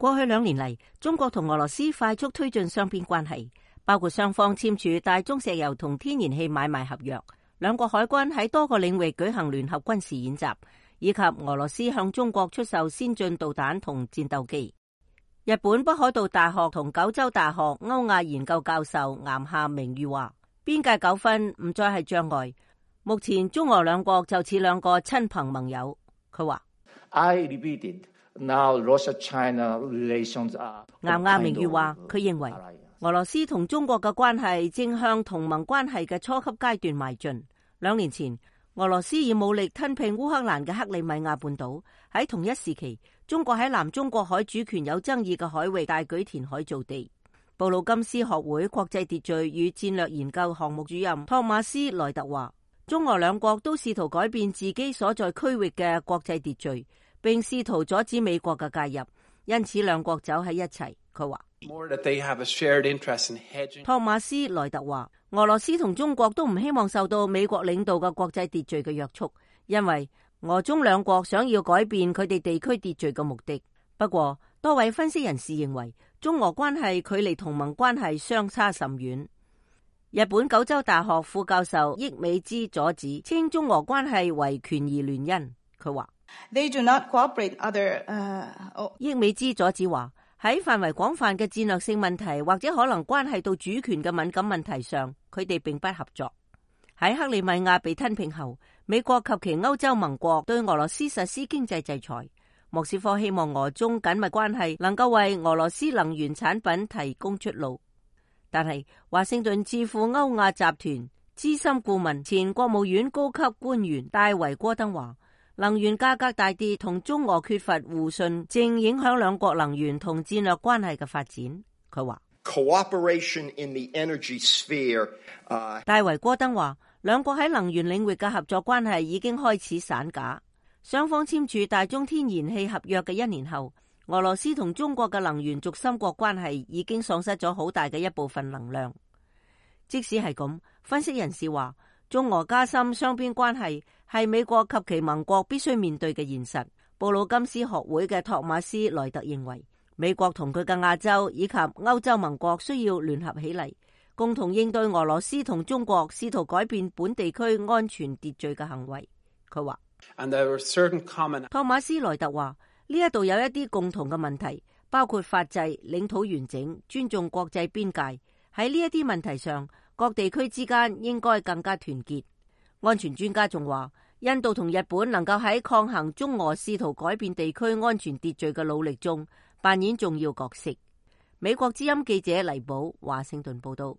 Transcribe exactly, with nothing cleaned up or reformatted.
過去兩年嚟，中國同俄羅斯快速推進雙邊關係，包括雙方簽署大宗石油同天然氣買賣合約，兩國海軍喺多個領域舉行聯合軍事演習，以及俄羅斯向中國出售先進導彈同戰鬥機。日本北海道大學同九州大學歐亞研究教授岩下明裕話，邊界糾紛唔再係障礙，目前中俄兩國就似兩個親朋盟友。佢話I repeated, now Russia-China relations are。岩下明裕話，佢認為俄羅斯同中國嘅關係正向同盟關係嘅初級階段邁進。兩年前，俄羅斯以武力吞併烏克蘭嘅克里米亞半島，喺同一時期，中國喺南中國海主權有爭議嘅海域大舉填海造地。布魯金斯學會國際秩序與戰略研究項目主任托馬斯萊特話，中俄兩國都試圖改變自己所在區域嘅國際秩序，並試圖阻止美國嘅介入，因此兩國走喺一齊。佢話托馬斯萊特話，俄羅斯同中國都唔希望受到美國領導嘅國際秩序嘅約束，因為俄中兩國想要改變佢哋地區秩序嘅目的。不過，多位分析人士認為，中俄關係距離同盟關係相差甚遠。日本九州大學副教授益美之佐子稱中俄關係為權宜聯姻。佢話They do not cooperate other, uh, oh. 益美之佐子話，喺範圍廣泛嘅戰略性問題或者可能關係到主權嘅敏感問題上，佢哋並不合作。喺克里米亞被吞併後，美國及其歐洲盟國對俄羅斯實施經濟制裁。莫斯科希望俄中緊密關係能夠為俄羅斯能源產品提供出路。但係華盛頓智庫歐亞集團資深顧問、前國務院高級官員戴維戈登話，能源價格大跌同中俄缺乏互信，正影響兩國能源同戰略關係嘅發展。佢話Cooperation in the energy sphere, uh... 戴維戈登話，兩國喺能源領域嘅合作關係已經開始散架。雙方簽署大宗天然氣合約嘅一年後，俄羅斯同中國嘅能源軸心國關係已經喪失咗好大嘅一部分能量。即使係咁，分析人士話，中俄加深雙邊關係係美國及其盟國必須面對嘅現實。布魯金斯學會嘅托馬斯萊特認為，美國同佢嘅亞洲以及歐洲盟國需要聯合起嚟，共同應對俄羅斯同中國試圖改變本地區安全秩序嘅行為。佢話托馬斯萊特話，呢一度有一啲共同嘅問題，包括法制、領土完整、尊重國際邊界。喺呢一啲問題上，各地區之間應該更加團結。安全專家仲話，印度同日本能夠喺抗衡中俄試圖改變地區安全秩序嘅努力中扮演重要角色。美國之音記者黎寶華盛頓報道。